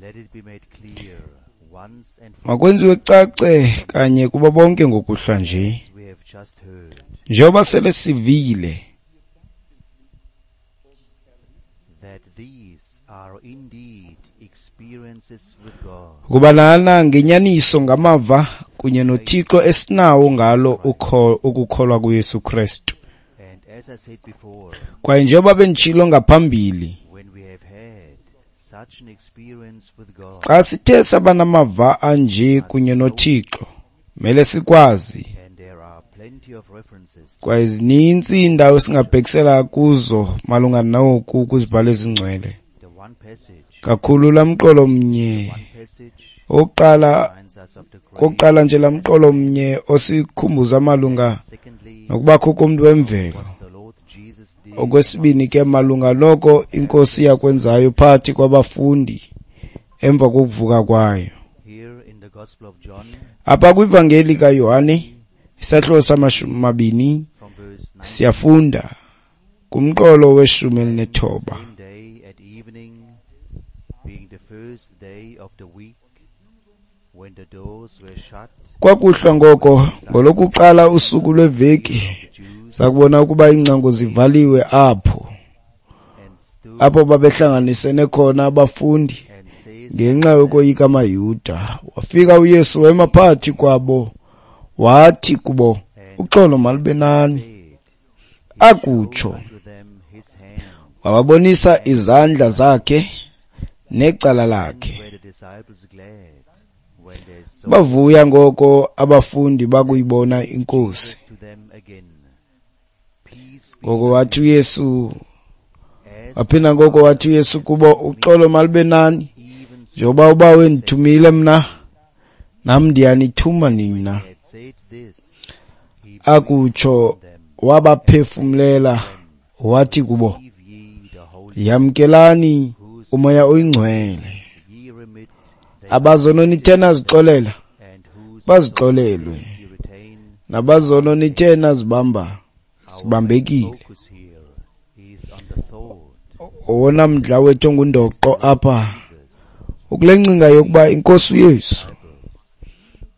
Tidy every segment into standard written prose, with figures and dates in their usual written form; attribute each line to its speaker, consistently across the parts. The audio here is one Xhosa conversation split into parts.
Speaker 1: Let it be made clear once and for
Speaker 2: Makwenziwe kucace kanye kubo bonke ngokuhlwa nje.
Speaker 1: all, as we have just heard,
Speaker 2: Njengoba sele sivile
Speaker 1: that these are indeed experiences with God,
Speaker 2: ukuba lana ngenyaniso ngamava kunye noThixo esinawo ngalo ukukholwa kuYesu Kristu.
Speaker 1: and as I said before,
Speaker 2: Kwaye njengoba benditshilo ngaphambili,
Speaker 1: when we have had such an experience with God,
Speaker 2: xa sithe saba namava anje kunye noThixo, mele sikwazi
Speaker 1: and there are plenty of references
Speaker 2: kwaye zininzi iindawo esingabhekisela kuzo malunga noku kwizibhalo ezingcwele.
Speaker 1: the one passage,
Speaker 2: Kakhulu laa mqolo mnye
Speaker 1: one passage
Speaker 2: okokuqala
Speaker 1: reminds us of the great,
Speaker 2: kokuqala nje laa mqolo mnye osikhumbuza malunga
Speaker 1: secondly,
Speaker 2: nokubakho komntu wemvelo.
Speaker 1: what the Lord Jesus did
Speaker 2: Okwesibini ke malunga noko iNkosi yakwenzayo phakathi kwabafundi emva kokuvuka kwayo.
Speaker 1: here in the Gospel of John
Speaker 2: Apha kwivangeli kaYohane isahluko sama-20
Speaker 1: from verse 9.
Speaker 2: siyafunda kumqolo we-19.
Speaker 1: Same day at evening, being the first day of the week, when the doors were shut,
Speaker 2: Kwakuhlwa ngoko ngolokuqala usuku lweveki
Speaker 1: the Jews
Speaker 2: sakubona ukuba iingcango zivaliwe apho
Speaker 1: and stood
Speaker 2: apho babehlanganisene khona abafundi
Speaker 1: and says
Speaker 2: ngenxa yokoyika amaYuda. Wafika uYesu wema phakathi kwabo wathi kubo, uxolo malube nani.
Speaker 1: said
Speaker 2: Akutsho
Speaker 1: unto them his hands,
Speaker 2: wababonisa izandla zakhe necala lakhe.
Speaker 1: were the disciples glad when they saw
Speaker 2: Bavuya ngoko abafundi bakuyibona iNkosi.
Speaker 1: to them again. Peace be
Speaker 2: Ngoko wathi uYesu,
Speaker 1: as
Speaker 2: waphinda ngoko wathi uYesu kubo, uxolo malube nani.
Speaker 1: even so
Speaker 2: Njengoba uBawo endithumile mna, nam ndiyanithuma nina.
Speaker 1: had said this, he
Speaker 2: Akutsho wabaphefumlela wathi kubo,
Speaker 1: receive ye the Holy
Speaker 2: yamkelani uMoya oyiNgcwele.
Speaker 1: ye remit they
Speaker 2: Abazono nithe nazixolela,
Speaker 1: and whose
Speaker 2: bazixolelwe,
Speaker 1: ye retain.
Speaker 2: nabazono nithe nazibamba, zibambekile.
Speaker 1: Focus here is on the thought
Speaker 2: Owona mdla wethu ongundoqo apha ukule ngcinga yokuba iNkosi uYesu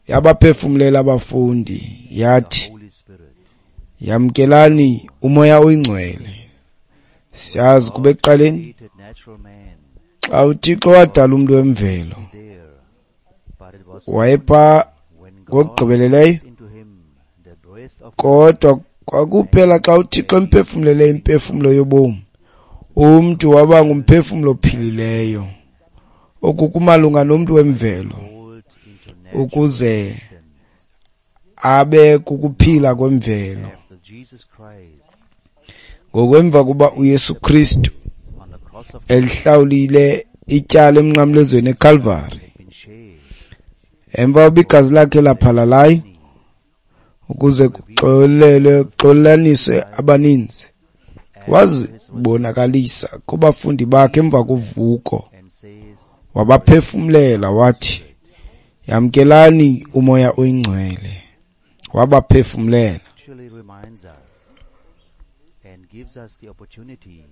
Speaker 2: yabaphefumlela abafundi yathi,
Speaker 1: Holy Spirit.
Speaker 2: yamkelani uMoya oyiNgcwele. Siyazi kuba ekuqaleni
Speaker 1: Created natural man
Speaker 2: xa uThixo wadala umntu wemvelo
Speaker 1: there, but it was
Speaker 2: wayepha
Speaker 1: when God
Speaker 2: ngokugqibeleleyo,
Speaker 1: into him the breath of
Speaker 2: kodwa kwakuphela xa uThixo emphefumlele imphefumlo yobomi, umntu waba ngumphefumlo ophilileyo. Oku kumalunga nomntu wemvelo
Speaker 1: called into natural
Speaker 2: ukuze
Speaker 1: existence
Speaker 2: abe kukuphila kwemvelo.
Speaker 1: after Jesus Christ
Speaker 2: Ngokwemva kuba uYesu Kristu
Speaker 1: on the cross of
Speaker 2: elihlawulile ityala emnqamlezweni eKalvari,
Speaker 1: had been shed,
Speaker 2: emva kokuba igazi lakhe laphalalayo ukuze kuxolelwe kuxolelaniswe abaninzi, wazibonakalisa kubafundi bakhe emva kovuko,
Speaker 1: and says,
Speaker 2: wabaphefumlela wathi, yamkelani uMoya oyiNgcwele. Wabaphefumlela.
Speaker 1: actually reminds us and gives us the opportunity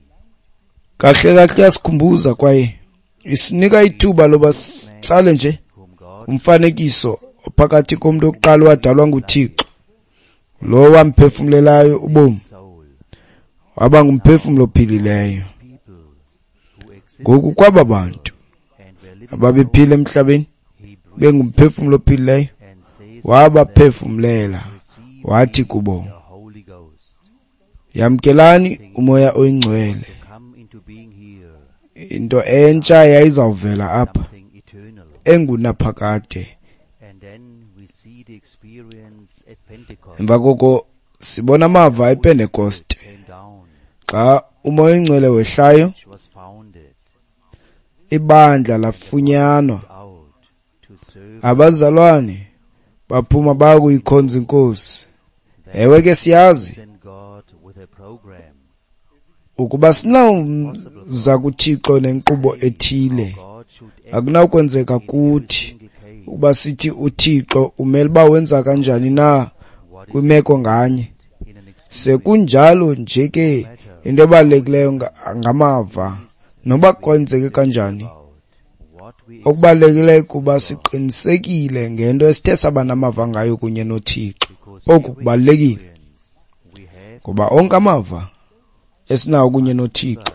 Speaker 2: Kahle kahle yasikhumbuza kwaye isinika ithuba loba sitsale nje
Speaker 1: whom God
Speaker 2: umfanekiso ophakathi komntu oqala wadalwa nguThixo, lo wamphefumlelayo ubomi,
Speaker 1: soul
Speaker 2: waba ngumphefumlo ophilileyo.
Speaker 1: people who exist
Speaker 2: Ngoku kwaba bantu
Speaker 1: and were living
Speaker 2: ababephila emhlabeni
Speaker 1: he breathed
Speaker 2: bengumphefumlo ophilileyo,
Speaker 1: and says
Speaker 2: wabaphefumlela
Speaker 1: receive
Speaker 2: wathi kubo,
Speaker 1: the Holy Ghost
Speaker 2: yamkelani uMoya oyiNgcwele.
Speaker 1: to come into being here
Speaker 2: Into entsha yayizawuvela apha
Speaker 1: something eternal.
Speaker 2: engunaphakade.
Speaker 1: And then we see the experience at Pentecost
Speaker 2: Emva koko sibona amava ePentekoste
Speaker 1: came down,
Speaker 2: xa uMoya oyiNgcwele wehlayo,
Speaker 1: which was founded
Speaker 2: ibandla lafunyanwa,
Speaker 1: out to serve
Speaker 2: abazalwane baphuma baya kuyikhonza iNkosi. Ewe ke siyazi
Speaker 1: send God with a program.
Speaker 2: ukuba sinawuza kuThixo nenkqubo ethile,
Speaker 1: God should act
Speaker 2: akunawukwenzeka kuthi
Speaker 1: single case.
Speaker 2: ukuba sithi uThixo umele uba wenza kanjani na kwimeko nganye.
Speaker 1: In an experience
Speaker 2: Sekunjalo nje ke into ebalulekileyo ngamava, noba kwenzeke kanjani, Okubalulekileyo kuba siqinisekile ngento esithe saba namava ngayo kunye noThixo. Oku kubalulekile ngoba onke amava esinawo kunye noThixo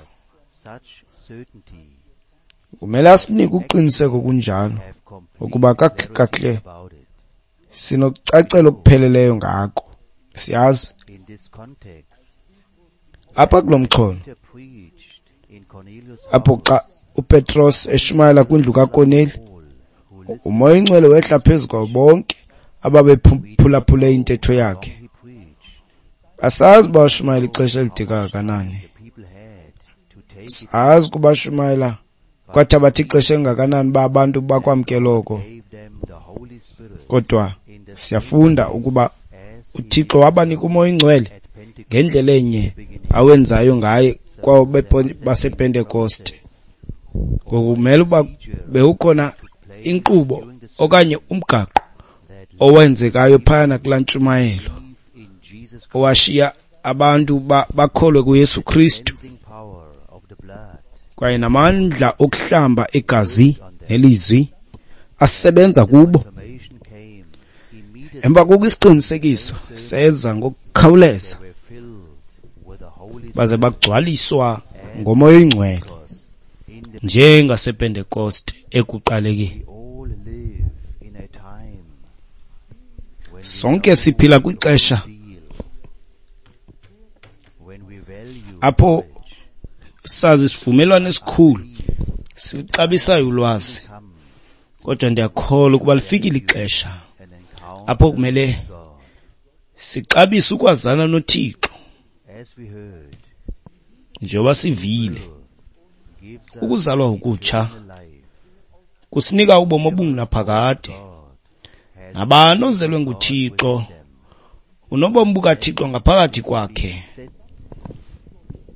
Speaker 2: kumele asinike uqiniseko kunjalo ukuba kakuhle sinokucacela okupheleleyo ngako. Siyazi apha kulo mxholo apho xa uPetros eshumayela kwindlu kaKorneli, uMoya oyiNgcwele wehla phezu kwabo bonke ababephulaphule intetho yakhe. Asazi uba washumayela ixesha elide kangakanani, sazi ukuba washumayela kwathabatha ixesha elingakanani uba abantu bakwamkele oko, kodwa siyafunda ukuba uThixo wabanika uMoya oyiNgcwele ngendlela enye awenzayo ngaye kwabo basePentekoste. Ngoku kumele uba bewukhona inkqubo okanye umgaqo owenzekayo phayana kulaa ntshumayelo owashiya abantu bakholwe kuYesu Kristu kwaye namandla okuhlamba igazi nelizwi asebenza kubo. Emva koko isiqinisekiso seza ngokukhawuleza baze bagcwaliswa ngoMoya oyiNgcwele njengasePentekoste ekuqalekeni. Sonke siphila kwixesha apho sazi isivumelwano esikhulu silixabisayo ulwazi, kodwa ndiyakholwa ukuba lifikile ixesha apho kumele sixabise ukwazana noThixo. Njengoba sivile, ukuzalwa okutsha kusinika ubomi obungunaphakade. Nabani ozelwe nguThixo unobomi bukaThixo ngaphakathi kwakhe.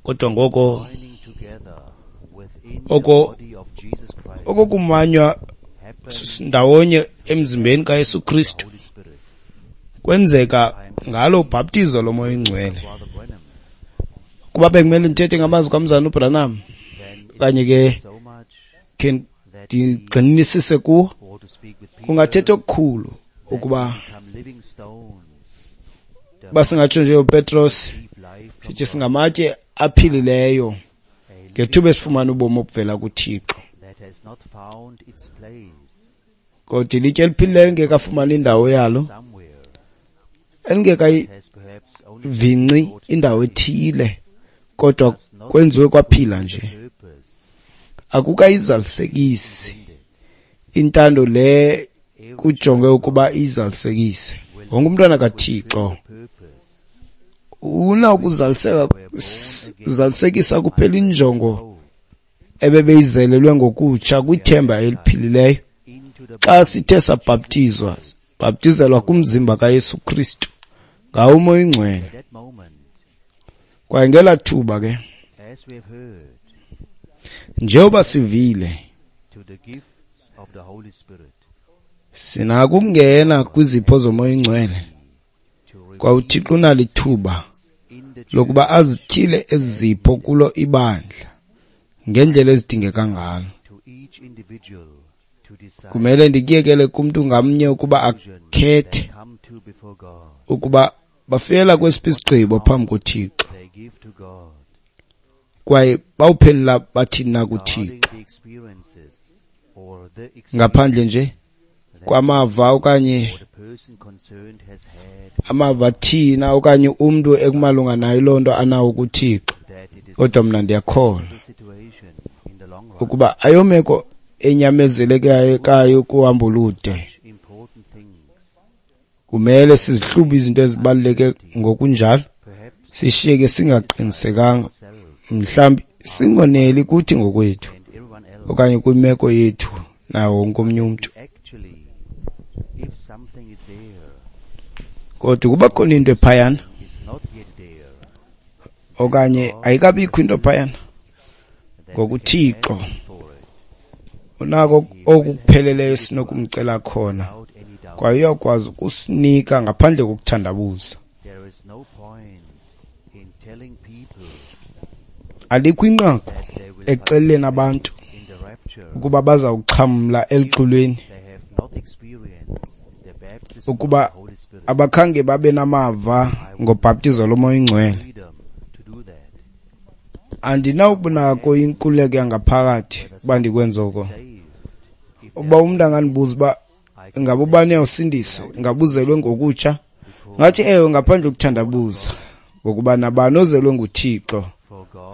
Speaker 2: Kodwa ngoko oko kumanywa ndawonye emzimbeni kaYesu Kristu kwenzeka ngalo ubhaptizo loMoya oyiNgcwele. Kuba bekumele ndithethe ngamazwi kaMzalwana uBranham okanye ke khe ndigxinisise kuwo, kungathetha okukhulu ukuba basingatsho nje uPetros sithi singamatye aphilileyo ngethuba esifumana ubomi obuvela kuThixo. Kodwa ilitye eliphilileyo lingekafumani indawo yalo, elingekayivinci indawo ethile, kodwa kwenziwe kwaphila nje, akukayizalisekisi intando le kujonge ukuba izalisekise. Wonke umntwana kaThixo unakuzalisekisa kuphela injongo ebebeyizelelwe ngokutsha kwithemba eliphilileyo xa sithe sabhaptizwa, bhaptizelwa kumzimba kaYesu Kristu ngawo uMoya oyiNgcwele. Kwaye ngelaa thuba ke, njengoba sivile, sinako ukungena kwizipho zoMoya oyiNgcwele. Kwaye uThixo unalo ithuba lokuba azityhile ezi zipho kulo ibandla ngendlela ezidingeka ngalo. Kumele ndikuyekele kumntu ngamnye ukuba akhethe ukuba bafela kwesiphi isigqibo phambi koThixo kwaye bawuphendula bathini na kuThixo, ngaphandle nje kwamava okanye amava thina okanye umntu ekumalunga nayo loo nto anawo kuThixo. Kodwa mna ndiyakholwa ukuba ayomeko enyamezelekayo kuhambo olude. Kumele sizihlube izinto ezibaluleke ngokunjalo, sishiyeke singaqinisekanga, mhlawumbi singoneli kuthi ngokwethu okanye kwimeko yethu nawo wonke omnye umntu. Kodwa ukuba khona into ephayana okanye ayikabikho into phayana, ngokuThixo unako okupheleleyo sinokumcela khona, kwaye uyakwazi ukusinika ngaphandle kokuthandabuza. Alikho inqaku ekuxeleleni abantu ukuba bazawuxhamla elixhulweni ukuba abakhange babe namava ngobhaptizo loMoya oyiNgcwele. Andinawubunako inkululeko yangaphakathi uba ndikwenza oko. Uba umntu angandibuza uba ingaba ubani uyawusindiswa, ingaba uzelwe ngokutsha, ngathi ewe, ngaphandle kokuthandabuza, ngokuba nabani ozelwe nguThixo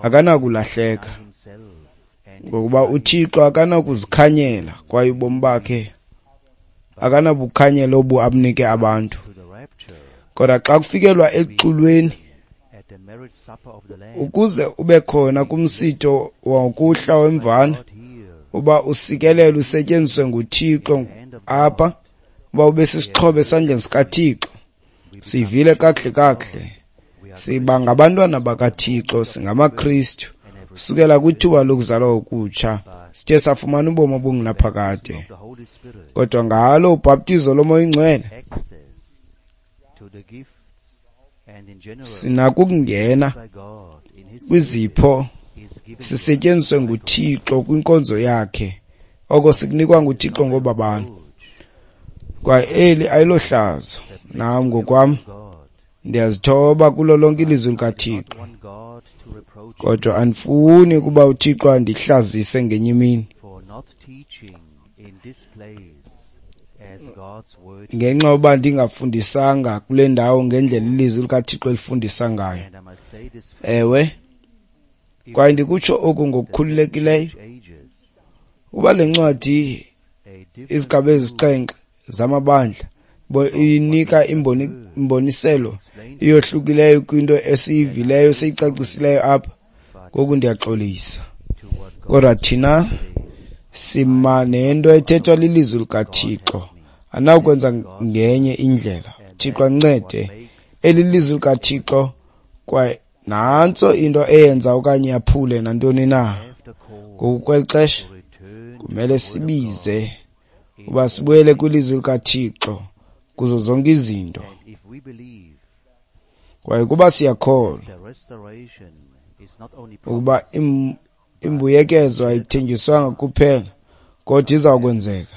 Speaker 2: akanakulahleka, ngokuba uThixo akanakuzikhanyela kwaye ubomi bakhe akanabukhanyela obu abunike abantu. Kodwa xa kufikelwa exulweni, ukuze ube khona kumsitho wokuhla wemvana, uba usikelelwe usetyenziswe nguThixo apha, uba ube sisixhobo esandleni sikaThixo, sivile kakuhle kakuhle, siba ngabantwana bakaThixo, singamaKristu kusukela kwithuba lokuzalwa okutsha, sithe safumana ubomi obungunaphakade. Kodwa ngalo ubhaptizo loMoya oyiNgcwele sinako ukungena kwizipho, sisetyenziswe nguThixo kwinkonzo yakhe, oko sikunikwa nguThixo ngobabalo. Kwaye eli ayilohlazo, nam ngokwam ndiyazithoba kulo lonke ilizwi likaThixo, kodwa andifuni ukuba uThixo andihlazise ngenye imini ngenxa yoba ndingafundisanga kule ndawo ngendlela ilizwi likaThixo elifundisa ngayo. Ewe, kwaye ndikutsho oku ngokukhululekileyo, uba le ncwadi izigaba ezixhenxe zamabandla inika imboniselo iyohlukileyo kwinto esiyivileyo siyicacisileyo apha, ngoku ndiyaxolisa. Kodwa thina sima nento ethethwa lilizwi likaThixo, anawukwenza ngenye indlela. Thixo ancede, eli lizwi likaThixo kwaye nantso into eyenza okanye yaphule nantoni na. Ngoku kweli xesha kumele sibize uba sibuyele kwilizwi likaThixo kuzo zonke izinto. Kwaye kuba siyakholwa ukuba imbuyekezo ayithenjiswanga kuphela, kodwa izawukwenzeka.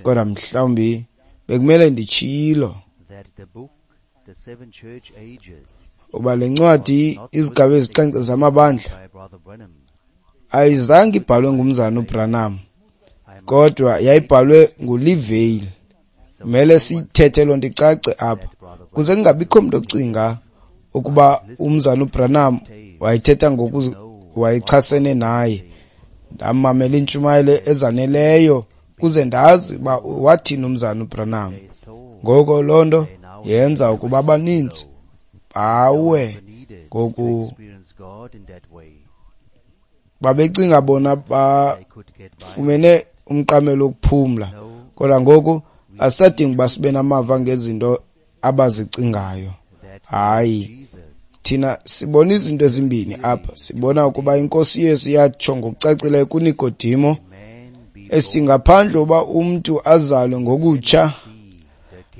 Speaker 2: Kodwa mhlawumbi bekumele nditshilo uba le ncwadi izigaba ezixhenxe zamabandla ayizange ibhalwe ngumzana uBranham, kodwa yayibhalwe nguLevi. Kumele sithethe loo nto icace apha, kuze kungabikho mntu ocinga ukuba umzana uBranham wayethetha ngoku wayechasene naye. Ndamamela iintshumayelo ezaneleyo kuze ndazi uba wathini umzana uBranham. Ngoko loo nto yenza ukuba abaninzi bawe, ngoku babecinga bona bafumene umqamelo wokuphumla, kodwa ngoku asadinga uba sibe namava ngezinto abazicingayo. Hayi, thina sibona izinto ezimbini apha. Sibona ukuba iNkosi Yesu yatsho ngokucacileyo kuNikodimo esithi ngaphandle uba umntu azalwe ngokutsha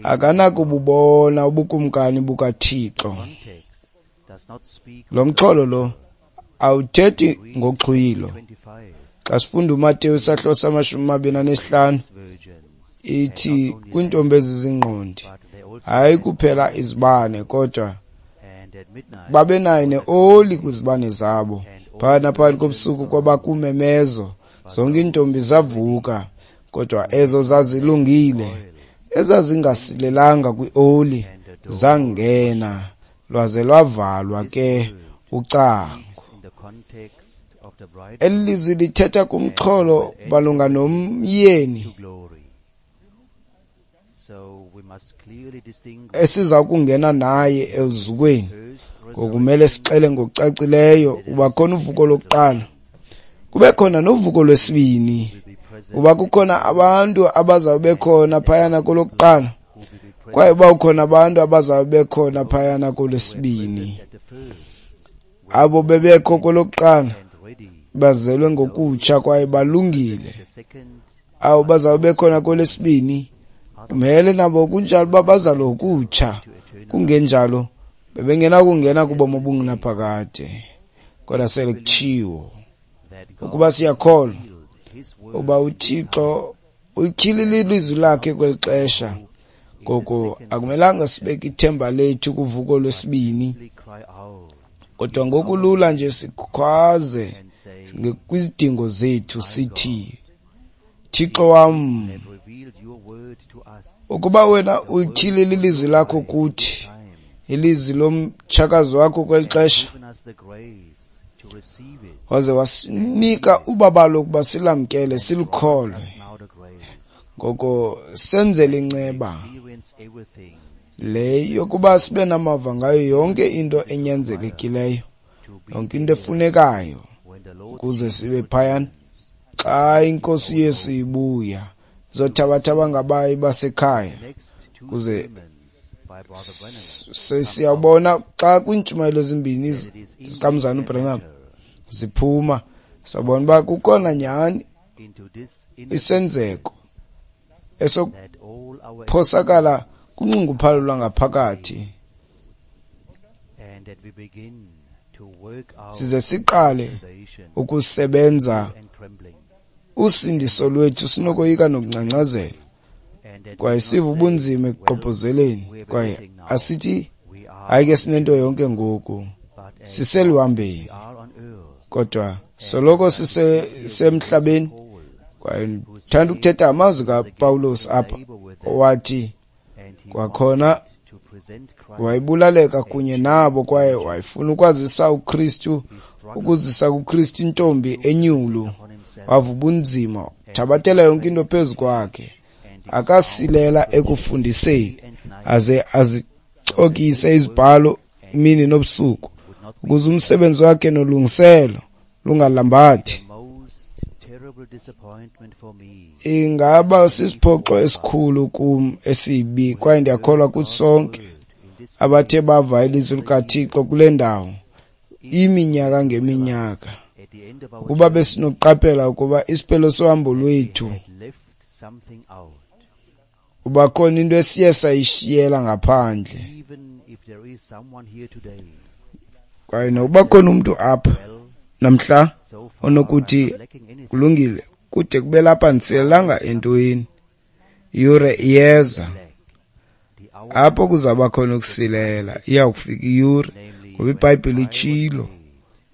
Speaker 2: akanakububona ubukumkani bukaThixo. Lo mxholo lo awuthethi ngoxhwilo. Xa sifunda uMateyu isahluko sama-25 ithi kwiintombi ezizingqondi, hayi kuphela izibane, kodwa babenayo neoli kwizibane zabo. Phakathi naphakathi kobusuku kwabakumemezo, zonke iintombi zavuka, kodwa ezo zazilungile, ezazingasilelanga kwioli, zangena, lwaze lwavalwa ke ucango. Eli lizwi lithetha kumxholo malunga nomyeni esiza kungena naye eluzukweni. Ngokumele sixele ngokucacileyo uba khona uvuko lokuqala, kube khona novuko lwesibini, uba kukhona abantu abazawube khona phayana kolokuqala, kwaye uba kukhona abantu abazawube khona phayana kolwesibini. Abo bebekho kolokuqala bazelwe ngokutsha kwaye balungile. Abo bazawube khona kolwesibini kumele nabo kunjalo uba bazalwe ngokutsha, kungenjalo bebengenakungena kubomi obungunaphakade. Kodwa sele kutshiwo ukuba siyakholwa uba uThixo ulityhilile ilizwi lakhe kweli xesha. Ngoko akumelanga sibeke ithemba lethu kuvuko lwesibini, kodwa ngokulula nje sikhwaze kwizidingo zethu sithi, Thixo wam, ukuba wena ulityhilile ilizwi lakho kuthi, ilizwi lomtshakazi wakho kweli xesha, waze wasinika ubabalo ukuba silamkele, silikholwe, ngoko senzele inceba le yokuba sibe namava ngayo yonke into enyanzelekileyo, yonke into efunekayo, ukuze sibe phayana xa iNkosi Yesu ibuya, izothabatha abangabayi basekhaya. Kuze siyabona xa kwiintshumayelo ezimbini zikaMzalwana uBranham ziphuma, sabona uba kukhona nyhani isenzeko esokuphosakala kunxunguphalo lwangaphakathi, size siqale ukusebenza usindiso lwethu sinokoyika nokungcangcazela, kwaye siva ubunzima ekugqobhozeleni, kwaye asithi hayi ke sinento yonke ngoku, siseluhambeni, kodwa soloko sisemhlabeni. Kwaye ndithanda ukuthetha amazwi kaPawulos apha, owathi kwakhona wayebulaleka kunye nabo, kwaye wayefuna ukwazisa uKristu, ukuzisa kuKristu intombi enyulu. Wava ubunzima, thabathela yonke into phezu kwakhe, akasilela ekufundiseni, aze azicokise izibhalo imini nobusuku, ukuze umsebenzi wakhe nolungiselo lungalambathi. Ingaba sisiphoxo esikhulu kum esibi, kwaye ndiyakholwa kuthi sonke abathe bava ilizwi likaThixo kule ndawo iminyaka ngeminyaka, ukuba besinokuqaphela ukuba isiphelo sohambo lwethu uba khona into esiye sayishiyela ngaphandle. Kwaye nokuba khona umntu apha namhla onokuthi kulungile, kude kube lapha ndisilelanga entweni, iyure iyeza apho kuzawuba khona ukusilela. Iyawukufika iyure, ngoba iBhayibhile itshilo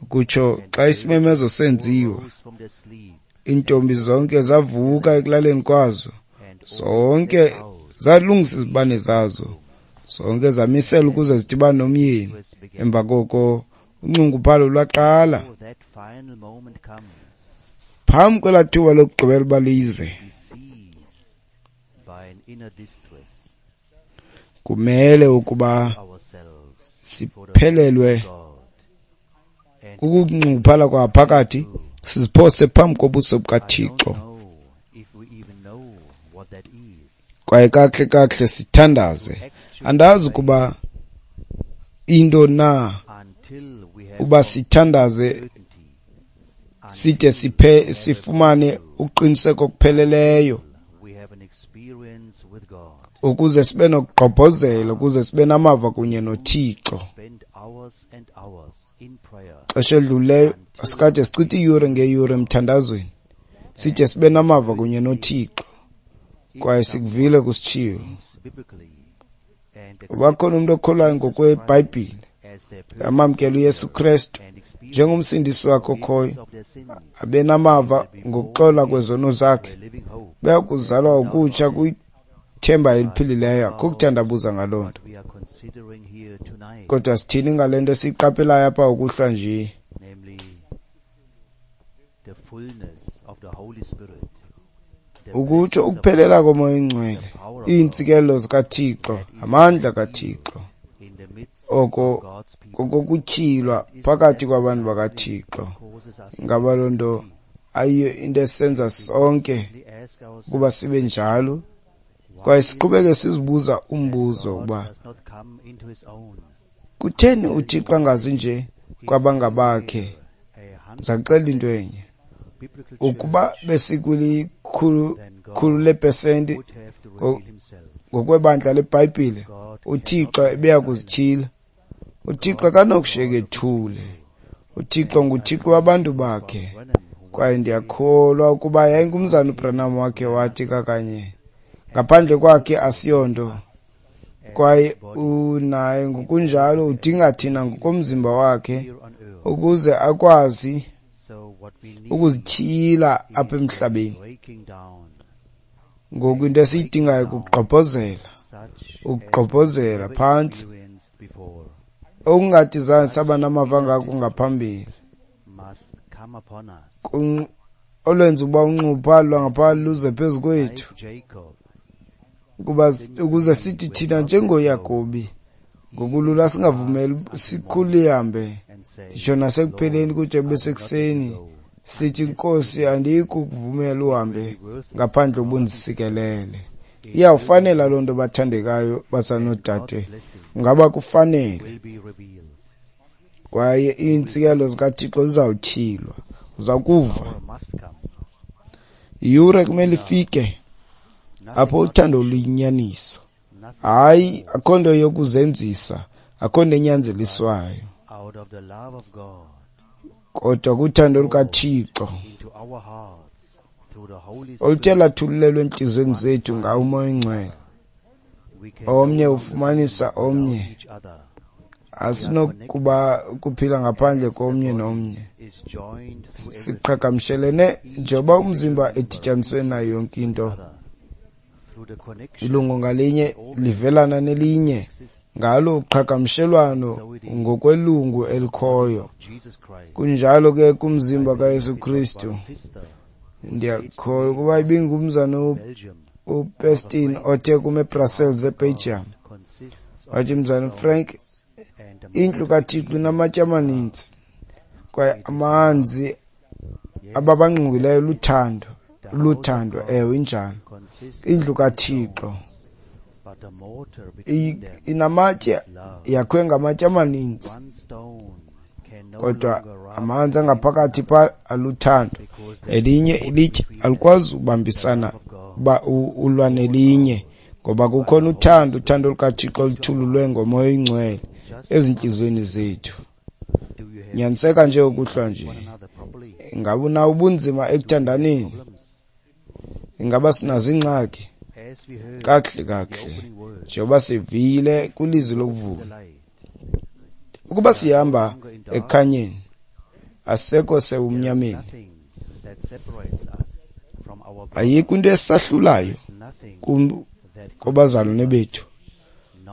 Speaker 2: ukutsho xa isimemezo senziwa, iintombi zonke zavuka ekulaleni kwazo, zonke zalungisa izibane zazo, zonke zamisela ukuze zidibane nomyeni. Emva koko unxunguphalo lwaqala. Phambi kwelaa thuba lokugqibela uba lize, kumele ukuba siphelelwe kukunxunguphala kwaphakathi, siziphose phambi kobuso bukaThixo, kwaye kakuhle kakuhle sithandaze. Andazi ukuba into na uba sithandaze side sifumane uqiniseko okupheleleyo, ukuze sibe nokugqobhozela, ukuze sibe namava kunye noThixo. Xesha elidlulileyo asikade sichithe iiyure ngeeyure emthandazweni, side sibe namava kunye noThixo, kwaye sikuvile kusitshiwo. Uba khona umntu okholwayo ngokweBhayibhile, amamkela uYesu Kristu njengomsindisi wakhe okhoyo, abe namava ngokuxola kwezono zakhe, beya kuzalwa ukutsha kwithemba eliphilileyo. Akukho kuthandabuza ngaloo nto. Kodwa sithini ngale nto esiyiqaphelayo apha ukuhlwa nje? Ukutsho ukuphelela koMoya oyiNgcwele, iintsikelelo zikaThixo, amandla kaThixo, oko kokutyhilwa phakathi kwabantu bakaThixo. Ingaba loo nto ayiyo into esenza sonke ukuba sibe njalo? Kwaye siqhubeke sizibuza umbuzo ukuba kutheni uThixo angazi nje kwabangabakhe? Ndizakuxelela into enye, ukuba besikwilikhulu lepesenti ngokwebandla leBhayibhile, uThixo ebeya kuzityhila. uThixo akanokushiyeka ethule. uThixo nguThixo wabantu bakhe. Kwaye ndiyakholwa ukuba yayingumzana uBranham wakhe wathi kakanye, ngaphandle kwakhe asiyonto. Kwaye unaye ngokunjalo udinga thina ngokomzimba wakhe ukuze akwazi ukuzityhila apha emhlabeni. Ngoku into esiyidingayo kugqobhozela, ukugqobhozela phantsi, okungathi zange saba namava ngako ngaphambili, olwenza ukuba unxunguphalo lwangaphakathi luze phezu kwethu, ukuze sithi thina njengoYakobi ngokulula singavumeli sikhule ihambe nditsho nasekupheleni kude kube sekuseni, sithi, Nkosi, andiyikukuvumela uhambe ngaphandle ubundisikelele. Iyawufanela loo nto, bathandekayo bazanoodade, ngaba kufanele. Kwaye iintsikelo zikaThixo zizawutyhilwa, uza kuva. Iyure kumele ifike apho uthando luyinyaniso. Hayi, akho nto yokuzenzisa, akho nto enyanzeliswayo, kodwa kuthando lukaThixo oluthe lathululelwa entliziyweni zethu ngawo uMoya oyiNgcwele. Omnye ufumanisa omnye. Asinokuba ukuphila ngaphandle komnye nomnye. Siqhagamshelene njengoba umzimba edityaniswe nayo yonke into. Ilungu ngalinye livelana nelinye ngalo uqhagamshelwano ngokwelungu elikhoyo. Kunjalo ke kumzimba kaYesu Kristu. Ndiyakholwa ukuba ibingumzana uPestin othe kum eBrussels eBelgium, wathi, Mzana Frank, indlu kaThixo inamatye amaninzi kwaye amanzi ababangqongileyo luthando, luthando. Ewe, injalo. Indlu kaThixo inamatye, yakhiwe ngamatye amaninzi, kodwa amanzi angaphakathi pha aluthando. Elinye ilitye alikwazi ubambisana uba ulwa nelinye, ngoba kukhona uthando, uthando lukaThixo oluthululwe ngoMoya oyiNgcwele ezintliziyweni zethu. Nyaniseka nje ukuhlwa nje. Ingaba unawo ubunzima ekuthandaneni? Ingaba sinazo iingxaki? Kakuhle kakuhle, njengoba sivile kwilizwi lokuvula, ukuba sihamba ekukhanyeni, asisekho sebumnyameni. Ayikho into esahlulayo kubazalwane bethu.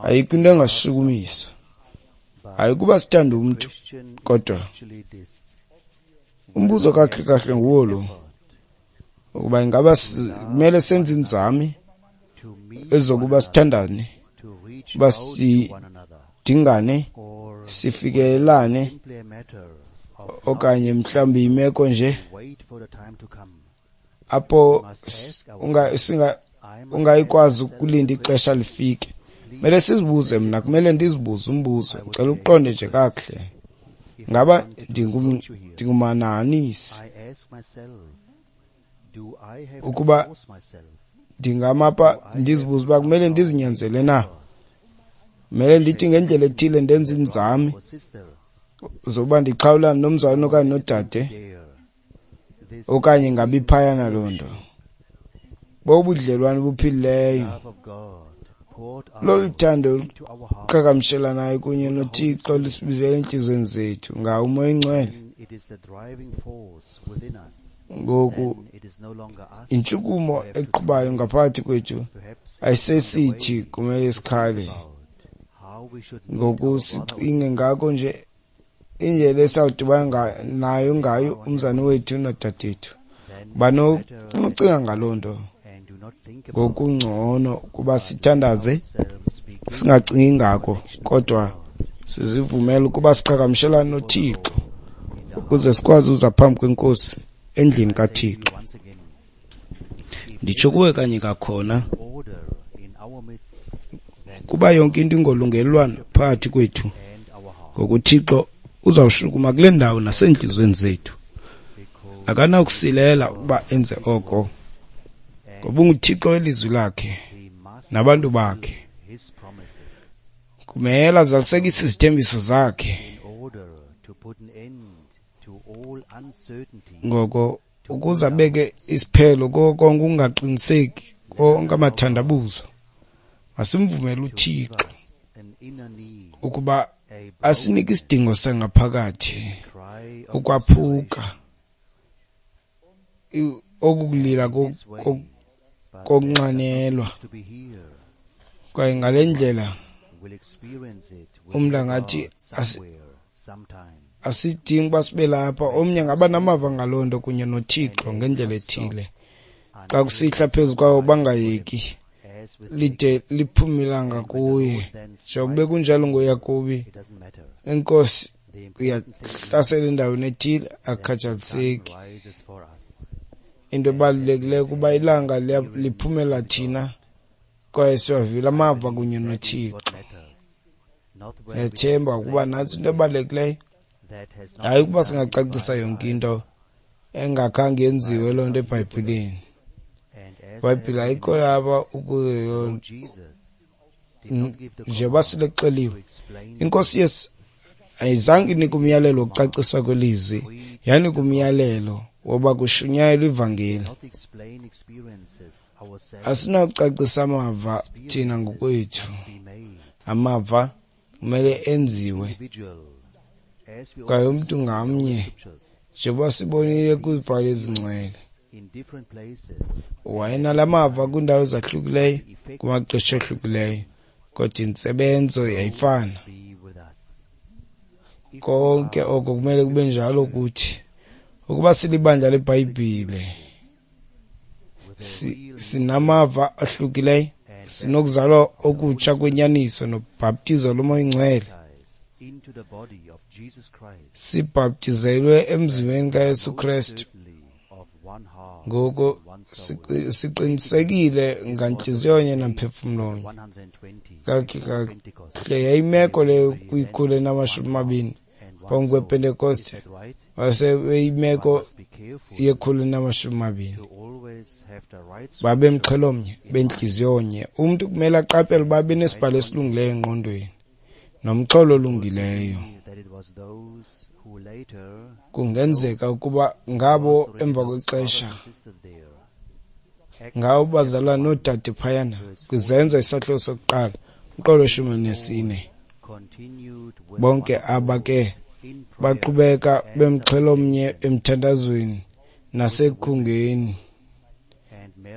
Speaker 2: Ayikho into engasishukumisa. Hayi kuba sithanda umntu, kodwa umbuzo kakuhle kahle nguwo lo, ukuba ingaba kumele senze inzame ezokuba sithandane, uba sidingane, sifikelelane, okanye mhlawumbi imeko nje apho ungayikwazi ukulinda ixesha lifike. Kumele sizibuze, mna kumele ndizibuze umbuzo, ndicela uqonde nje kakuhle. Ngaba ndingumanahanisi? Ukuba ndingamapha ndizibuze uba kumele ndizinyanzele na? Kumele ndithi ngendlela ethile ndenze inzame zokuba ndixhawulane nomzalwane okanye nodade, okanye ngabe iphayana loo nto. Bobudlelwane buphilileyo. Lolu thando luqhagamshelanayo kunye noThixo lusibizela entliziyweni zethu ngawo uMoya oyiNgcwele. Ngoku intshukumo eqhubayo ngaphakathi kwethu ayisesithi kumele sikhale. Ngoku sicinge ngako nje indlela esawudibana nayo ngayo umzana wethu nodadethu. Banokucinga ngaloo nto. Ngokungcono kuba sithandaze singacingi ngako, kodwa sizivumele ukuba siqhagamshelane noThixo ukuze sikwazi uza phambi kweNkosi endlini kaThixo. Nditsho kuwe kanye kakhona, kuba yonke into ingolungelelwano phakathi kwethu, ngokuThixo uzawushukuma kule ndawo nasentliziyweni zethu. Akanakusilela ukuba enze oko, ngoba unguThixo welizwi lakhe nabantu bakhe. Kumele azalisekise izithembiso zakhe. Ngoko ukuze abeke isiphelo kuko konke ukungaqiniseki, konke amathandabuzo. Masimvumele uThixo ukuba asinike isidingo sangaphakathi, ukwaphuka, okukulila kokunxanelwa. Kwaye ngale ndlela umntu angathi asidingi uba sibe lapha. Omnye angaba namava ngaloo nto kunye noThixo ngendlela ethile. Xa kusihla phezu kwawo bangayeki lide liphume ilanga kuye. Njengoba kunjalo ngoYakobi, inkosi uyahlasela endaweni ethile, akukhathaliseki. Into ebalulekileyo kuba ilanga liphumela thina kwaye siwavile amava kunye noThixo. Ndiyathemba ukuba nantsi into ebalulekileyo, hayi ukuba singacacisa yonke into engakhange yenziwe loo nto eBhayibhileni. IBhayibhile ayikho lapha ukuze njengoba silexeliwe. INkosi Yesu ayizange inike umyalelo wokucaciswa kwelizwi, yanika umyalelo woba kushunyayelwe ivangeli. Asinakucacisa amava thina ngokwethu. Amava kumele enziwe kwaye umntu ngamnye, njengoba sibonile kwizibhalo ezingcwele, wayenala mava kwiindawo ezahlukileyo kumaxesha ahlukileyo, kodwa intsebenzo yayifana. Konke oko kumele kube njalo kuthi. Ukuba silibandla leBhayibhile, sinamava ahlukileyo, sinokuzalwa okutsha kwenyaniso nobhaptizo loMoya oyiNgcwele, sibhaptizelwe emzimbeni kaYesu Kristu. Ngoko siqinisekile ngantliziyonye namphefumlonye. Kakuhle yayimeko leyo kwi-120 phambi kwePentekoste, wasebeyimeko ye-120. Babemxhelomnye, bentliziyonye. Umntu kumele aqaphele uba abe nesibhalo esilungileyo engqondweni nomxholo olungileyo. Kungenzeka ukuba ngabo emva kwexesha, ngabo bazalwana noodade phayana kwiZenzo isahluko sokuqala umqolo 14. Bonke aba ke baqhubeka bemxhelomnye emthandazweni nasekukhungeni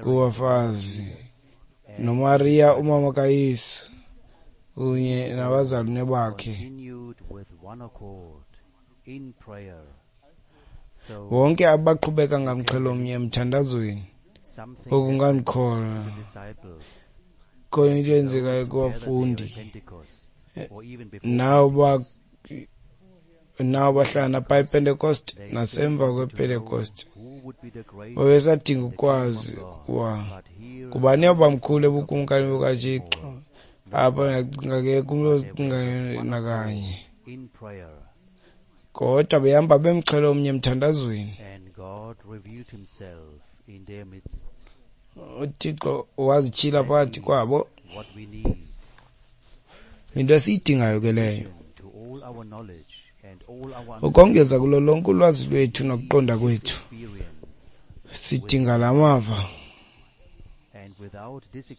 Speaker 2: kubafazi noMariya umama kaYesu kunye nabazalwane bakhe. Wonke abaqhubeka ngamxhelomnye emthandazweni. Okungandikhona khona into eyenzekayo kubafundi nawo bahlala phaa ePentekoste nasemva kwePentekoste, babesadinga ukwazi ukuba ngubani obamkhulu ebukumkani bukaThixo. Apha ndiyacinga ke kumntu ocingayo nakanye, kodwa behamba bemxhelomnye emthandazweni. UThixo wazityhila phakathi kwabo. Into esiyidingayo ke leyo, ukongeza kulo lonke ulwazi lwethu nokuqonda kwethu, sidinga la mava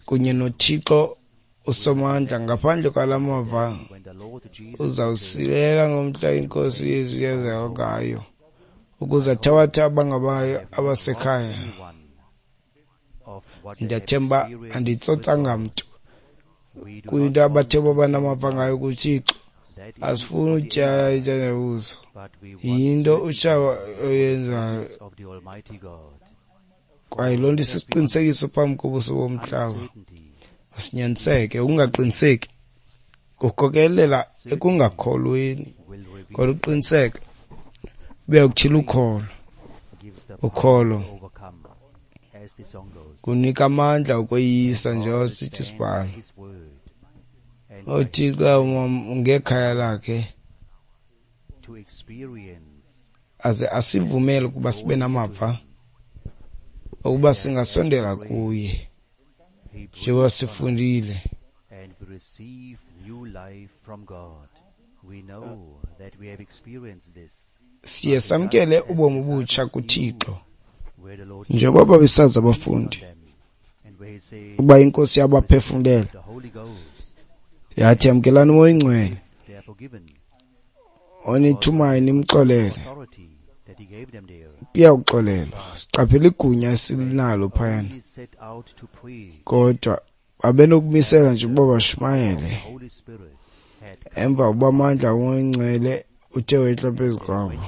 Speaker 2: kunye noThixo uSomandla. Ngaphandle kwala mava uzawusilela ngomhla iNkosi uYesu yeza ngayo ukuze athabathe abangabayo abasekhaya. Ndiyathemba anditsotsanga mntu kwinto abathe baba namava ngayo kuThixo. Asifuni utyala intandabuzo, yinto utshaba oyenzayo, kwaye loo nto isisiqinisekiso phambi kobuso bomhlaba. Masinyaniseke, ukungaqiniseki kukhokelela ekungakholweni, kodwa uqiniseke buya kutyhila ukholo. Ukholo kunika amandla okweyisa, njengoba sithi isibhalo. UThixo ngekhaya lakhe aze asivumele ukuba sibe namava ukuba singasondela kuye njengoba sifundile. Siye samkele ubomi obutsha kuThixo. Njengoba babesazi abafundi ukuba iNkosi yabaphefumlela yathi, yamkelani uMoya oyiNgcwele, onithumayo nimxolele, iyawuxolelwa. Siqaphela igunya esinalo phayana, kodwa babenokumisela nje ukuba bashumayele emva kokuba amandla oMoya oyiNgcwele uthe wehla phezu kwabo.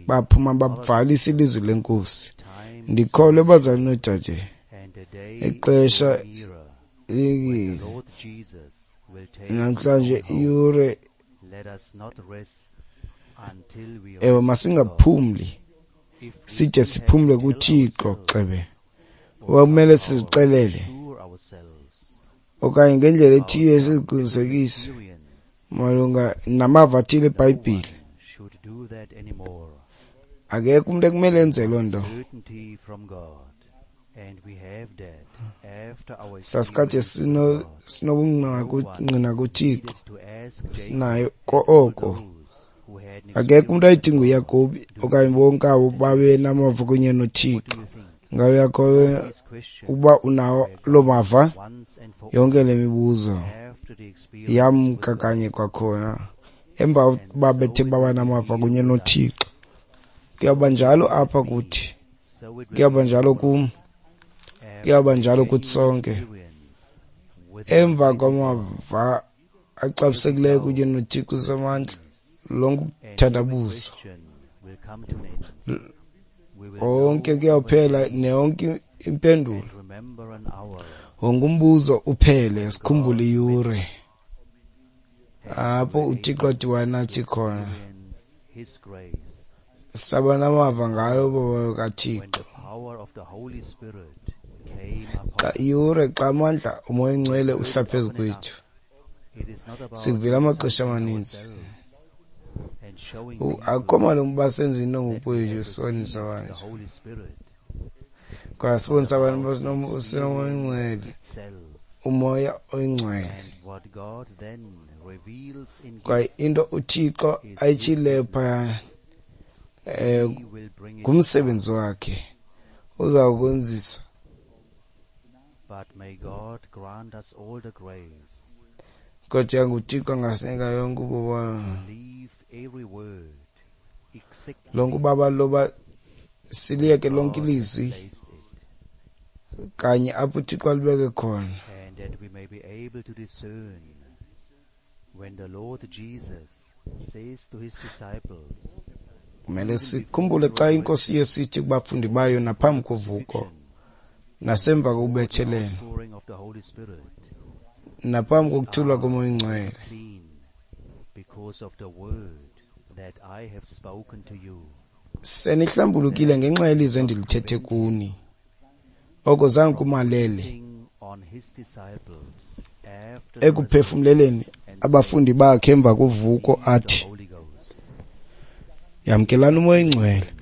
Speaker 2: Baphuma bavalisa ilizwi lenkosi. Ndikholwe bazali noodade, ixesha likile namhlanje, iyure. Ewe, masingaphumli side siphumle kuThixo gxebe. Kumele sizixelele okanye ngendlela ethile siziqinisekise malunga namava athile eBhayibhile. Akekho umuntu ekumele enze loo nto. Sasikade sinobungqina kuThixo, sinayo oko. Akekho umuntu ayidinga uYakobi okanye bonke abo babe namava kunye noThixo. Ngabe uyakholwa ukuba unawo loo mava? Yonke le mibuzo yamka kanye kwakhona emva kokuba bethe baba namava kunye noThixo. Kuyawuba njalo apha kuthi, kuyawuba njalo kum, kuyawuba njalo kuthi sonke. Emva kwamava axabisekileyo kunye noThixo uSomandla, lonke ukuthandabuzo konke kuyawuphela, neyonke impendulo, wonke umbuzo uphele. Sikhumbule iyure apho uThixo athi wanathi khona, saba namava ngalo baba kaThixo. Xa iyure, xa amandla uMoya oyiNgcwele uhla phezu kwethu, sikuvile amaxesha amaninzi. Akukho malungu uba senze into ngokwethu, sibonise abantu, kwaye sibonise abantu uba sinoMoya oyiNgcwele, uMoya oyiNgcwele. Kwaye into uThixo ayitshileyo phayana ngumsebenzi wakhe uzawukwenzisa. Kodwa yanguThixo angasinika yonke ububalo, lonke ubabalo loba siliyeke lonke ilizwi kanye apho uThixo alibeke khona. Kumele sikhumbule xa iNkosi Yesu ithi kubafundi bayo naphambi kovuko, nasemva kokubethelelwa, naphambi kokuthulwa koMoya oyiNgcwele, senihlambulukile ngenxa yelizwi endilithethe kuni. Oko zange kumalele ekuphefumleleni abafundi bakhe emva kovuko athi, yamkelani uMoya oyiNgcwele.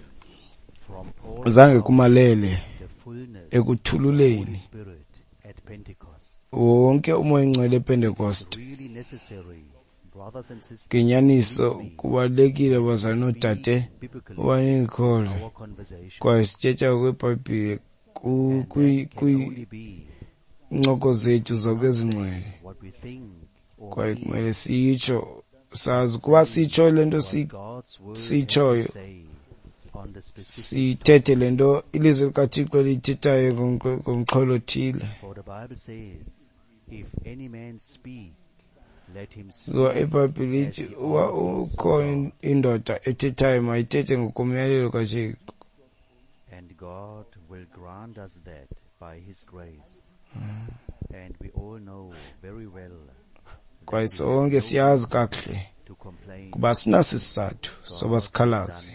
Speaker 2: Zange kumalele ekuthululeni wonke uMoya oyiNgcwele ePentekoste. Ngenyaniso kubalulekile bazali noodade uba nindikholwe, kwaye sithetha kweBhayibhile kwiincoko zethu zonke ezingcwele, kwaye kumele sitsho sazi kuba sitsho le nto sitshoyo, sithethe le nto ilizwi likaThixo liyithethayo ngomxholo othile. Ngoba iBhayibhile ithi uba ukhona indoda ethethayo mayithethe ngokomyalelo kaThixo.
Speaker 1: And God will grant us that by His grace. And we all know very well
Speaker 2: Kwaye sonke siyazi kakuhle kuba sinaso isizathu soba sikhalaze.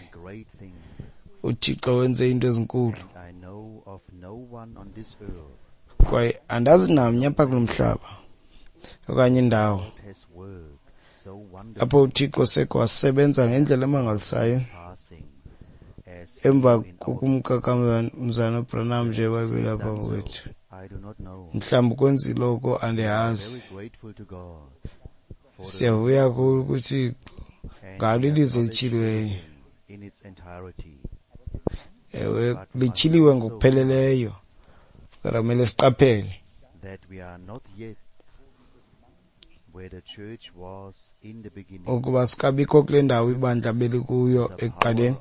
Speaker 2: uThixo wenze into ezinkulu. Kwaye andazi namnye apha kulo mhlaba okanye indawo apho uThixo seke wasebenza ngendlela emangalisayo emva kokumka kamzana Branham nje babelapha kwethu. Mhlawumbi kwenzile oko, andiyazi. Siyavuya kakhulu kuThixo Ngalo ilizwi elityhiliweyo. Ewe, lityhiliwe ngokupheleleyo, kodwa kumele siqaphele ukuba sikabikho kule ndawo ibandla belikuyo ekuqaleni,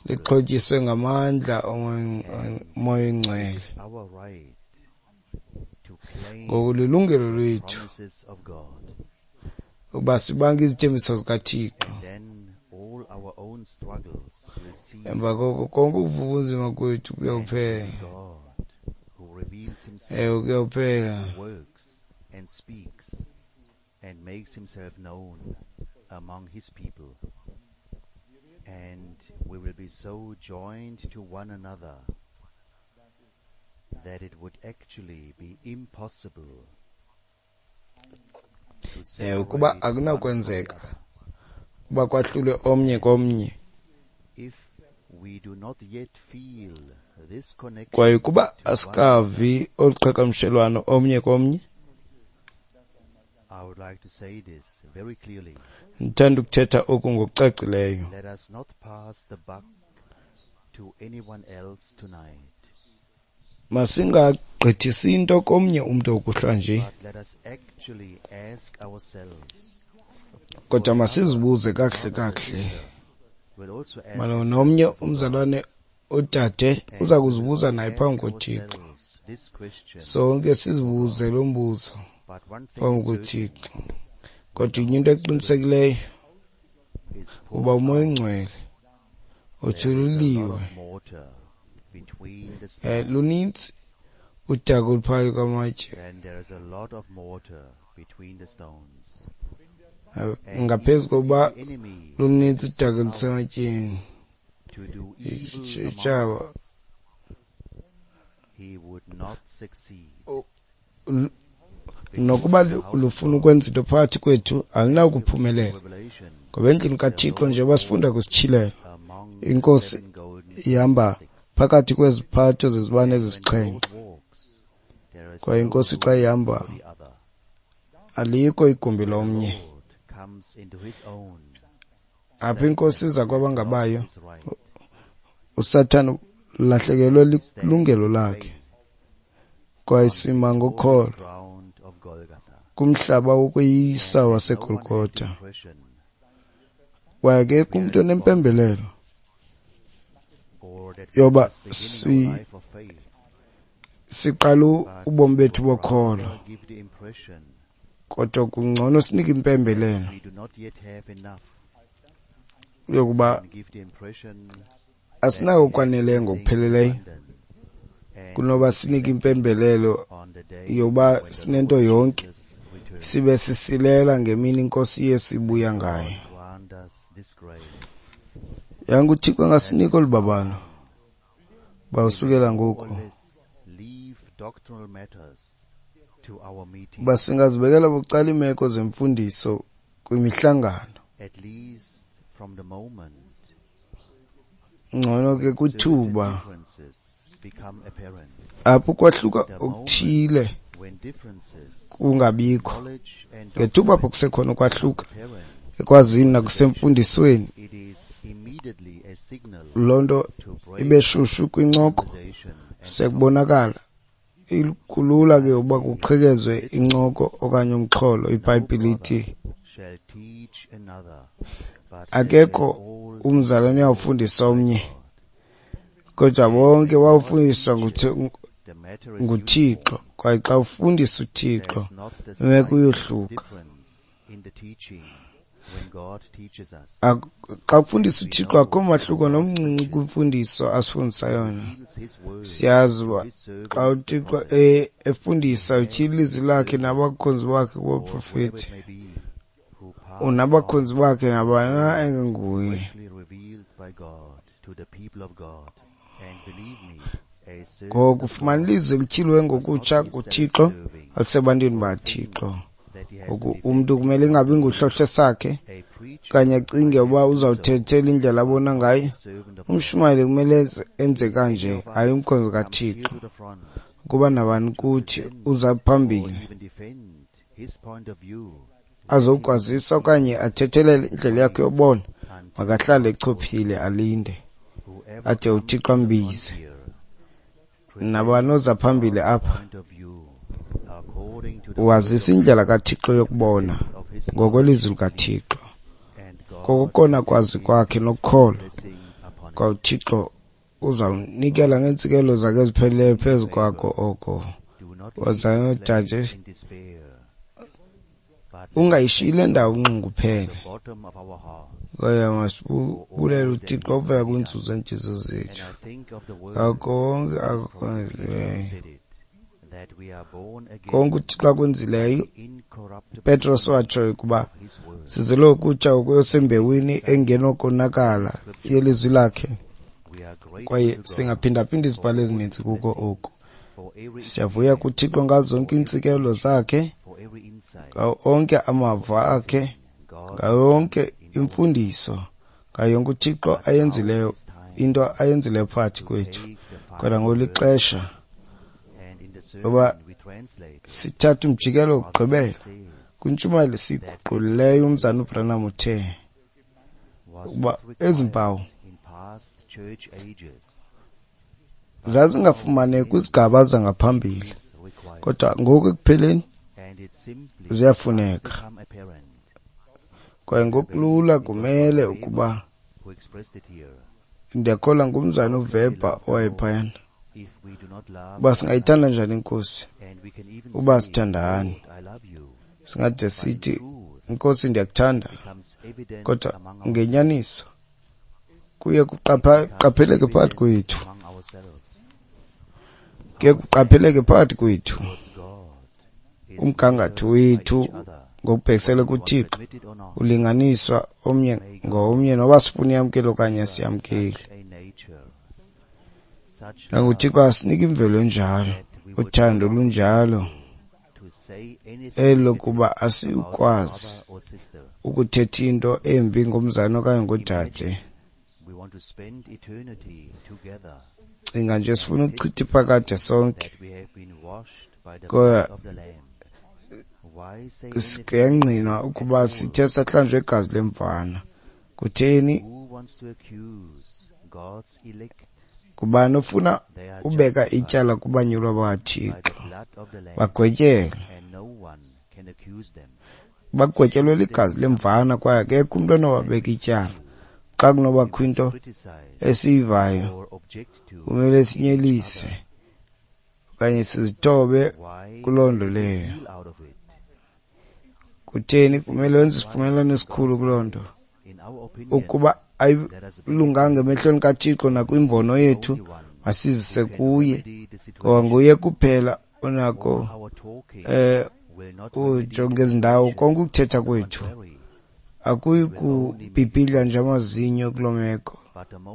Speaker 2: lixhotyiswe ngamandla oMoya oyiNgcwele. Ngoku lilungelo lwethu ukuba sibange izithembiso zikaThixo. Emva koko konke ukuva ubunzima kwethu kuyawuphela. Ewe, kuyawuphela.
Speaker 1: And makes himself known among his people. And we will be so joined to one another that it would actually be impossible to
Speaker 2: Ewe, kuba
Speaker 1: separate one from the
Speaker 2: akunakwenzeka
Speaker 1: other.
Speaker 2: uba kwahlulwe omnye komnye.
Speaker 1: If we do not yet feel this connection
Speaker 2: Kwaye kuba
Speaker 1: to one
Speaker 2: asikavi olu qhagamshelwano omnye komnye,
Speaker 1: I would like to say this very clearly.
Speaker 2: Ndithanda ukuthetha oku ngokucacileyo.
Speaker 1: Let us not pass the buck to anyone else tonight.
Speaker 2: Masingagqithisi into komnye umntu okuhlwa nje.
Speaker 1: But let us actually ask ourselves.
Speaker 2: Kodwa masizibuze kakuhle kakuhle.
Speaker 1: We'll also ask
Speaker 2: Malunga
Speaker 1: ourselves
Speaker 2: nomnye
Speaker 1: before God.
Speaker 2: umzalwane odade
Speaker 1: And
Speaker 2: uza
Speaker 1: we will
Speaker 2: kuzibuza naye
Speaker 1: ask
Speaker 2: phambi koThixo.
Speaker 1: ourselves this question.
Speaker 2: Sonke sizibuze lo mbuzo
Speaker 1: But one thing
Speaker 2: phambi
Speaker 1: is certain.
Speaker 2: koThixo. Kodwa inye into eqinisekileyo,
Speaker 1: Is
Speaker 2: uba
Speaker 1: poured
Speaker 2: uMoya
Speaker 1: out.
Speaker 2: oyiNgcwele
Speaker 1: There is a lot
Speaker 2: uthululiwe.
Speaker 1: of mortar between the stones.
Speaker 2: Lunintsi udaka oluphakathi kwamatye.
Speaker 1: Then there is a lot of mortar between the stones. And
Speaker 2: Ngaphezu
Speaker 1: even if
Speaker 2: kokuba
Speaker 1: the enemy
Speaker 2: lunintsi
Speaker 1: is
Speaker 2: udaka
Speaker 1: out
Speaker 2: olusematyeni.
Speaker 1: to do evil
Speaker 2: Itshaba.
Speaker 1: among us, he would not succeed.
Speaker 2: Nokuba lufuna ukwenza into phakathi kwethu, alinakuphumelela. Ngoba endlini kaThixo, njengoba sifunda kwisityhilelo, iNkosi ihamba phakathi kweziphatho zezibane ezisixhenxe. Kwaye iNkosi xa ihamba, alikho igumbi lomnye. Apho iNkosi iza kwabangabayo, uSathana ulahlekelwe lilungelo lakhe. Kwaye sima ngokholo kumhlaba wokweyisa waseGolgotha. Kwaye akekho umntu onempembelelo yoba siqala ubomi bethu bokholo, kodwa kungcono sinike impembelelo yokuba asinako okwaneleyo ngokupheleleyo kunoba sinike impembelelo yoba sinento yonke, sibe sisilela ngemini iNkosi Yesu ibuya ngayo. Yanga uThixo angasinika olu babalo bawusukela ngoku, uba singazibekela bucala iimeko zemfundiso kwimihlangano. Ngcono ke kwithuba apho kwahluka okuthile kungabikho, ngethuba apho kusekhona ukwahluka ekwazini nakusemfundisweni, loo nto ibe shushu kwincoko, sekubonakala kulula ke uba kuqhekezwe incoko okanye umxholo. IBhayibhile ithi akekho umzalwane uyawufundisa omnye, kodwa bonke bawufundiswa nguThixo. Kwaye xa ufundisa uThixo, imeko iyohluka. Xa kufundisa uThixo akukho mahluko nomncinci kwimfundiso asifundisa yona. Siyazi uba xa uThixo efundisa, utyhila ilizwi lakhe nabakhonzi bakhe kubaprofeti, unabakhonzi bakhe nabani na engenguye. Ngoku ufumana ilizwi elityhiliwe ngokutsha nguThixo alisebantwini baThixo. Ngoku umntu kumele ingabi nguhlohle sakhe okanye acinge uba uzawuthethela indlela abona ngayo. Umshumayeli kumele enze kanje, hayi umkhonzi kaThixo. Ukuba nabani kuthi uza phambili azokwazisa okanye athethelele indlela yakhe yobona, makahlale echophile alinde ade uThixo ambize. Nabani oza phambili apha wazisa indlela kaThixo yokubona ngokwelizwi likaThixo, kokokona kwazi kwakhe nokholo kwa uThixo uzawunikela ngeentsikelelo zakhe ezipheleleyo phezu kwakho oko. Wazana noodade, ungayishiyi le ndawo unxunguphele. Kwaye masibulele uThixo ovela kwiintsuku zeentliziyo zethu ngako konke akwenzileyo. Konke uThixo akwenzileyo, Petros watsho ukuba sizelwe ukutya okusembewini engenokonakala yelizwi lakhe. Kwaye singaphindaphinda izibhalo ezininzi kuko oku. Siyavuya kuThixo ngazo zonke iintsikelelo zakhe, ngawo onke amava akhe, ngayo yonke imfundiso, ngayo yonke uThixo ayenzileyo, into ayenzileyo phakathi kwethu. Kodwa ngoku lixesha loba sithathe umjikelo wokugqibela kwintshumayelo esiyiguqulileyo. Umzana uBranham uthe ukuba ezi mpawu zazingafumaneki kwizigaba zangaphambili, kodwa ngoku ekupheleni ziyafuneka. Kwaye ngokulula kumele ukuba, ndiyakholwa ngumzana uWeber owayephayana, uba singayithanda njani iNkosi uba sithandani. Singade sithi, Nkosi, ndiyakuthanda, kodwa ngenyaniso kuye kuqapheleke phakathi kwethu, kuye kuqapheleke phakathi kwethu umgangatho wethu ngokubhekisele kuThixo ulinganiswa omnye ngomnye, noba sifuna iyamkele okanye siyamkele. NanguThixo asinika imvelo enjalo, uthando olunjalo, elokuba asikwazi ukuthetha into embi ngomzali okanye ngodade. Cinga nje, sifuna ukuchitha iphakade sonke, kodwa kuyangqinwa ukuba sithe sahlanjwa igazi lemvana. Kutheni? Ngubani ofuna ubeka ityala kubanyulwa bakaThixo? Bagwetyelwe. Bagwetyelwe ligazi lemvana, kwaye akekho umntu onowabeka ityala. Xa kunobakho into esiyivayo, kumele sinyelise okanye sizithobe kuloo nto leyo. Kutheni kumele wenze isivumelwano esikhulu kuloo nto? Ukuba ayilunganga emehlweni kaThixo nakwimbono yethu, masizise kuye, ngoba nguye kuphela onako ujonga ezi ndawo. Konke ukuthetha kwethu akuyi kubhibhidla nje amazinyo kuloo meko,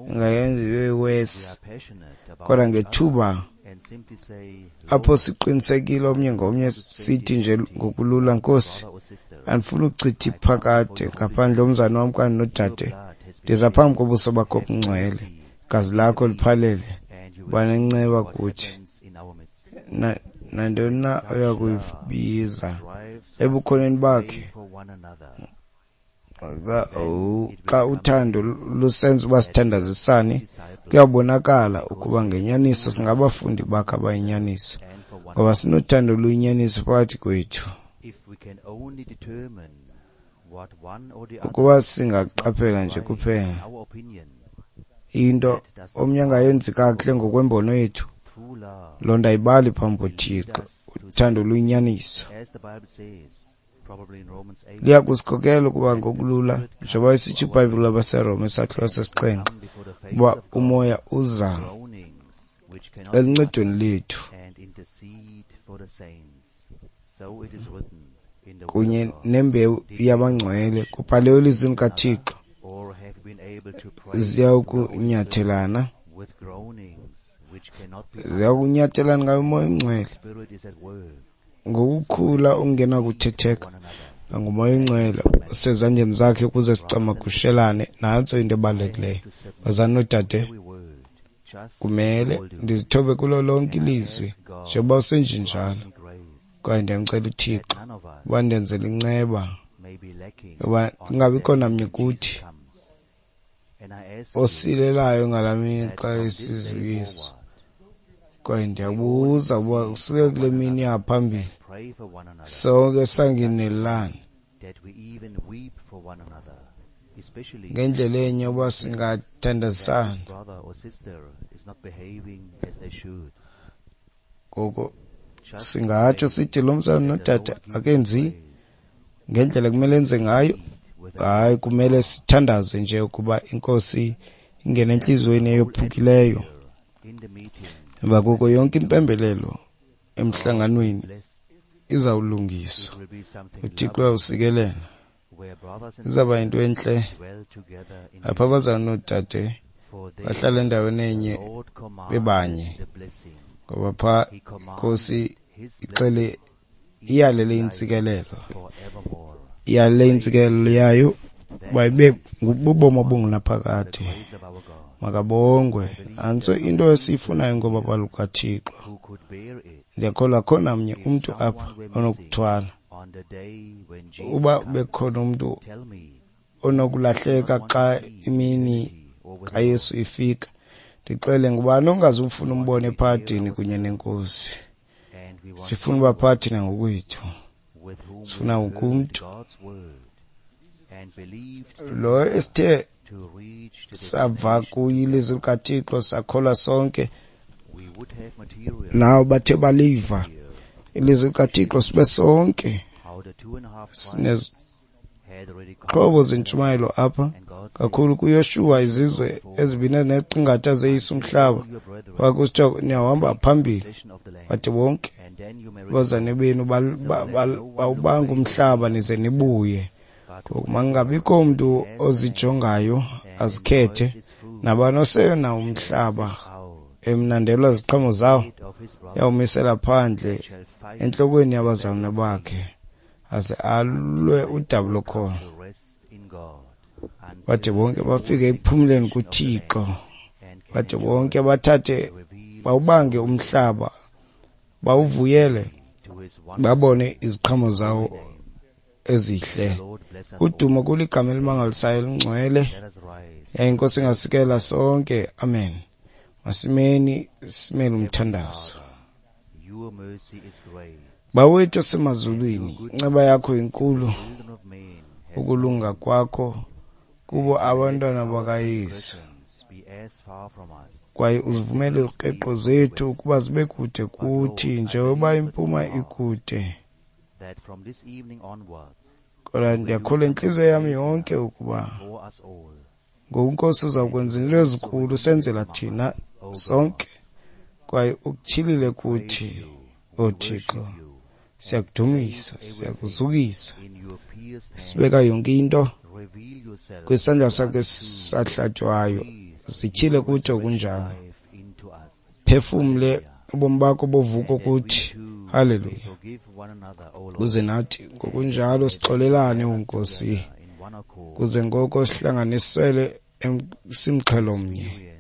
Speaker 2: ingayenza ibe worse. Kodwa ngethuba apho siqinisekile omnye ngomnye, sithi nje ngokulula, Nkosi, andifuni ukuchitha iphakade ngaphandle omzana wam okanye nodade. Ndiza phambi kobuso bakho obungcwele, igazi lakho liphalele, uba nenceba kuthi. Nantoni na oya kuyibiza ebukhoneni bakhe, xa uthando lusenza uba sithandazisane, kuyabonakala ukuba ngenyaniso singabafundi bakhe abayinyaniso, ngoba sinothando oluyinyaniso phakathi kwethu. Ukuba singaqaphela nje kuphela into omnye angayenzi kakuhle ngokwembono yethu, loo nto ayibali phambi koThixo. Uthando luyinyaniso liya kusikhokela ukuba ngokulula, njengoba isitsho iBhayibhile abaseRoma isahluko sesixhenxe, uba umoya uza eluncedweni lethu kunye nembewu yabangcwele. Kubhaliwe elizwini kaThixo, ziyawukunyathelana, ziyawukunyathelana ngayo umoya ongcwele ngokukhula okungenakuthetheka, nangumoya ongcwele osezandleni zakhe ukuze sicamagushelane. Nantso into ebalulekileyo, bazalwane noodade. Kumele ndizithobe kulo lonke ilizwi njengoba usenjenjalo, kwaye ndiyamcela uThixo uba ndenzele inceba, Ngoba kungabikho namnye kuthi osilelayo ngalaa mini xa esiza uYesu. Kwaye ndiyabuza uba usuke kule mini yaphambili sonke sangenelelana ngendlela enye uba singathandazisana. Ngoko singatsho sithi lo mzalwana nodade akenzi ngendlela kumele enze ngayo. Hayi, kumele sithandaze nje ukuba iNkosi ingene entliziyweni eyophukileyo. Emva koko yonke impembelelo emhlanganweni izawulungiswa. UThixo uyawusikelela. Izawuba yinto entle apho abazalwana noodade bahlala endaweni enye bebanye, ngoba phaa iNkosi ixele iyalele intsikelelo, iyalele intsikelelo yayo uba ibe bubomi obungunaphakade. Makabongwe. Nantso into esiyifunayo ngoba lukaThixo. Ndiyakholwa akho namnye umntu apha onokuthwala. Uba bekhona umntu onokulahleka xa imini kaYesu ifika, ndixele ngubani ongazufuna umbone ephadini kunye neNkosi. Sifuna uba phaa thina ngokwethu. Sifuna wonke umntu lo esithe sava kuye ilizwi likaThixo sakholwa sonke, nawo bathe baliva ilizwi likaThixo sibe sonke sinezixhobo zentshumayelo apha kakhulu kuYoshuwa izizwe ezibini ezineqingatha zeyisa umhlaba kwakusithiwa niyahamba phambili, bathi bonke abazane benu bawubanga umhlaba nize nibuye. Ngoku makungabikho mntu ozijongayo azikhethe, nabani oseyona umhlaba emnandelwa ziqhamo zawo uyawumisela phandle entlokweni yabazalwana bakhe aze alwe udabi lokholo. Bade bonke bafike ekuphumleni kuThixo, bade bonke bathathe bawubange umhlaba, bawuvuyele, babone iziqhamo zawo ezihle. Udumo kuligama elimangalisayo elingcwele. Yaye iNkosi ingasikela sonke. Amen. Masimeni simele umthandazo. Bawethu osemazulwini, inceba yakho inkulu, ukulunga kwakho kubo abantwana bakaYesu. Kwaye uzivumele izikreqo zethu ukuba zibe kude kuthi njengoba impuma ikude. Kodwa ndiyakholwa intliziyo yam yonke ukuba ngoku iNkosi uzawukwenza into ezinkulu senzela thina sonke, kwaye ukutyhilile kuthi, oThixo. Siyakudumisa, siyakuzukisa, sibeka yonke into kwisandla sakho esahlatywayo, zityhile kuthi okunjalo. Phefumle ubomi bakho bovuko kuthi. Haleluya. Kuze nathi ngokunjalo sixolelane, uNkosi, kuze ngoko sihlanganisele simxhelo mnye,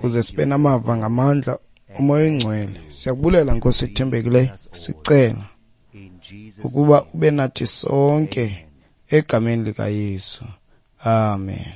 Speaker 2: kuze sibe namava ngamandla uMoya oyiNgcwele. Siyakubulela Nkosi ethembekileyo, sicela ukuba ube nathi sonke egameni likaYesu. Amen.